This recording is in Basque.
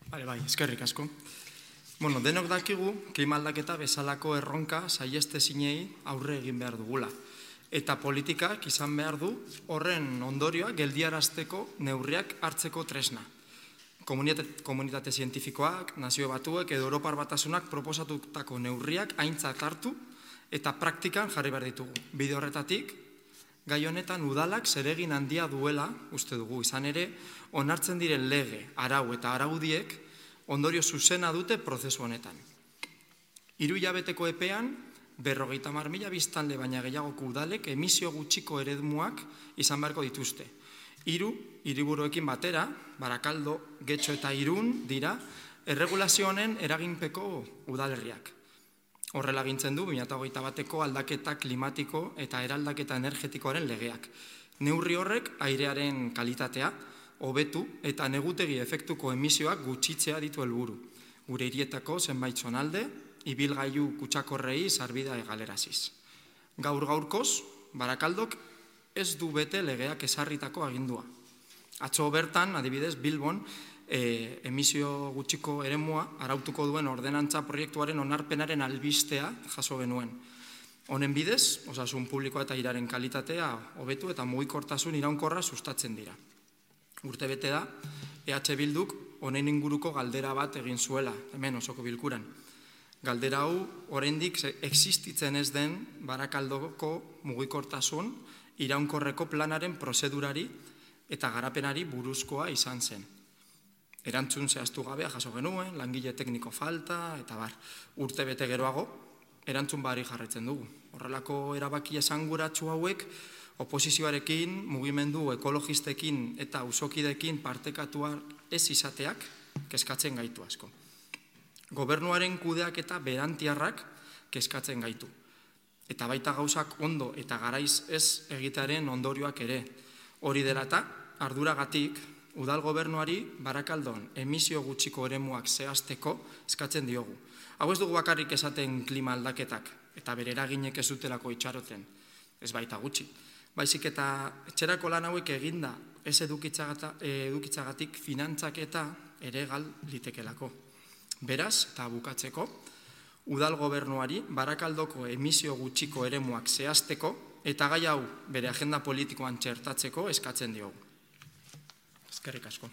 Bai, eskerrik asko. Denok dakigu, klima aldaketa bezalako erronka saiestezinei aurre egin behar dugula. Eta politikak izan behar du horren ondorioak geldiarazteko neurriak hartzeko tresna. Komunitate zientifikoak, Nazio Batuek edo Europar Batasunak proposatutako neurriak aintzat hartu eta praktikan jarri behar ditugu. Bide horretatik, gai honetan udalak zeregin handia duela uste dugu. Izan ere, onartzen diren lege, arau eta araudiek ondorio zuzena dute prozesu honetan. 3 hilabeteko epean, 50.000 biztanle baina gehiagoko udalek emisio gutxiko eremuak izan beharko dituzte. 3 hiriburuekin batera, Barakaldo, Getxo eta Irun dira, erregulazio honen eraginpeko udalerriak. Horrela agintzen du 2021ko aldaketa klimatiko eta eraldaketa energetikoaren legeak. Neurri horrek airearen kalitatea, hobetu eta negutegi efektuko emisioak gutxitzea ditu helburu. Gure hirietako zenbait zonalde, ibilgailu kutsakorrei sarbidea egaleraziz. Gaur-gaurkoz, Barakaldok ez du bete legeak ezarritako agindua. Atzo bertan, adibidez, Bilbon, emisio gutxiko eremua arautuko duen ordenantza proiektuaren onarpenaren albistea jaso genuen. Honen bidez, osasun publikoa eta airaren kalitatea hobetu eta mugikortasun iraunkorra sustatzen dira. Urtebete da, EH Bilduk honen inguruko galdera bat egin zuela, hemen osoko bilkuran. Galdera hau, oraindik existitzen ez den Barakaldoko mugikortasun iraunkorreko planaren prozedurari eta garapenari buruzkoa izan zen. Erantzun zehaztu gabea jaso genuen, langile tekniko falta, eta bar, urtebete geroago, erantzun bari jarretzen dugu. Horrelako erabaki esanguratsu hauek, oposizioarekin, mugimendu ekologistekin eta auzokideekin partekatua ez izateak kezkatzen gaitu asko. Gobernuaren kudeak eta berantiarrak kezkatzen gaitu. Eta baita gauzak ondo eta garaiz ez egitearen ondorioak ere. Hori dela eta, arduragatik, udal gobernuari Barakaldon emisio gutxiko eremuak zehazteko eskatzen diogu. Hau ez dugu bakarrik esaten klima aldaketak eta bere eraginek ez dutelako itxaroten, ez baita gutxi. Baizik eta etxerako lan hauek eginda ez edukitzagatik finantzaketa ere gal litekelako. Beraz, eta bukatzeko, udal gobernuari Barakaldoko emisio gutxiko eremuak zehazteko eta gai hau bere agenda politikoan txertatzeko eskatzen diogu. Eskerrik asko.